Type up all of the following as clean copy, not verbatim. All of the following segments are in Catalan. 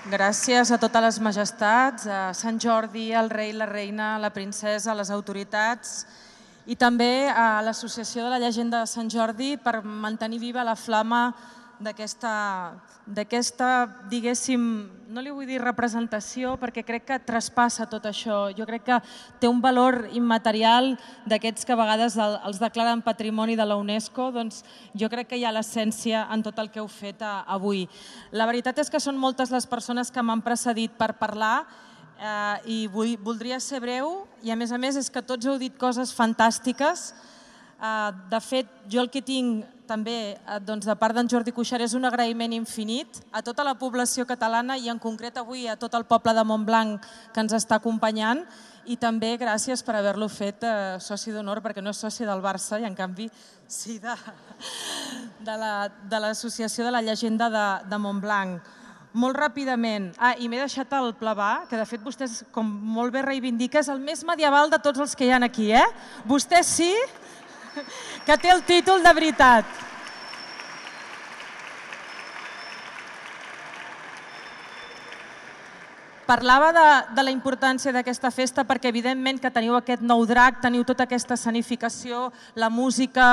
Gràcies a totes les majestats, a Sant Jordi, al rei, la reina, la princesa, a les autoritats i també a l'Associació de la Llegenda de Sant Jordi per mantenir viva la flama d'aquesta, diguéssim, no li vull dir representació perquè crec que traspassa tot això. Jo crec que té un valor immaterial d'aquests que a vegades els declaren patrimoni de la UNESCO, doncs jo crec que hi ha l'essència en tot el que heu fet avui. La veritat és que són moltes les persones que m'han precedit per parlar i voldria ser breu i a més és que tots heu dit coses fantàstiques. De fet, jo el que tinc també de part d'en Jordi Cuixart és un agraïment infinit a tota la població catalana i en concret avui a tot el poble de Montblanc que ens està acompanyant i també gràcies per haver-lo fet soci d'honor perquè no és soci del Barça i en canvi sí de l'Associació de la Llegenda de Montblanc. Molt ràpidament, i m'he deixat el Pla, que de fet vostès com molt bé reivindica, és el més medieval de tots els que hi ha aquí, eh? Vostès sí? Que té el títol de veritat. Parlava de la importància d'aquesta festa perquè evidentment que teniu aquest nou drac, teniu tota aquesta escenificació, la música,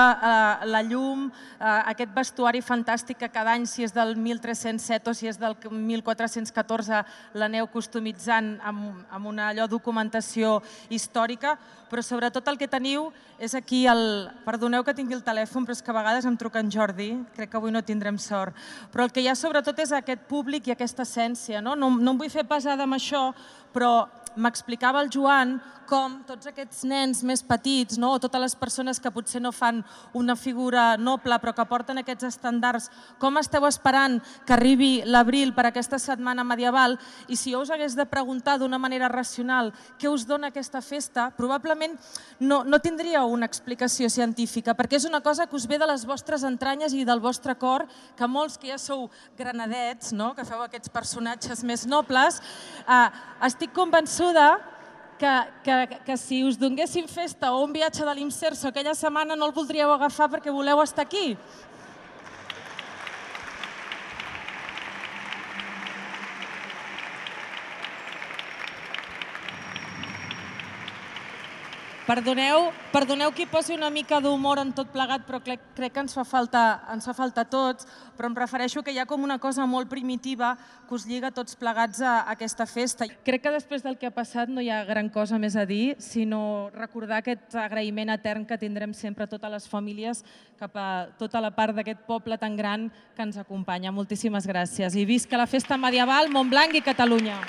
la llum, aquest vestuari fantàstic que cada any, si és del 1307 o si és del 1414, l'aneu customitzant amb una documentació històrica, però sobretot el que teniu és aquí, perdoneu que tingui el telèfon, però és que a vegades em truca en Jordi, crec que avui no tindrem sort, però el que hi ha sobretot és aquest públic i aquesta essència. No em vull fer pesada amb això, però m'explicava el Joan com tots aquests nens més petits o totes les persones que potser no fan una figura noble però que porten aquests estandards, com esteu esperant que arribi l'abril per aquesta setmana medieval i si jo us hagués de preguntar d'una manera racional què us dona aquesta festa, probablement no tindríeu una explicació científica perquè és una cosa que us ve de les vostres entranyes i del vostre cor, que molts que ja sou granadets, que feu aquests personatges més nobles, estic convençuda que si us donguessin festa o un viatge de l'Imserso aquella setmana no el voldríeu agafar perquè voleu estar aquí. Perdoneu que hi posi una mica d'humor en tot plegat, però crec que ens fa falta a tots, però em refereixo que hi ha com una cosa molt primitiva que us lliga tots plegats a aquesta festa. Crec que després del que ha passat no hi ha gran cosa més a dir, sinó recordar aquest agraïment etern que tindrem sempre totes les famílies cap a tota la part d'aquest poble tan gran que ens acompanya. Moltíssimes gràcies i visca la festa medieval, Montblanc i Catalunya.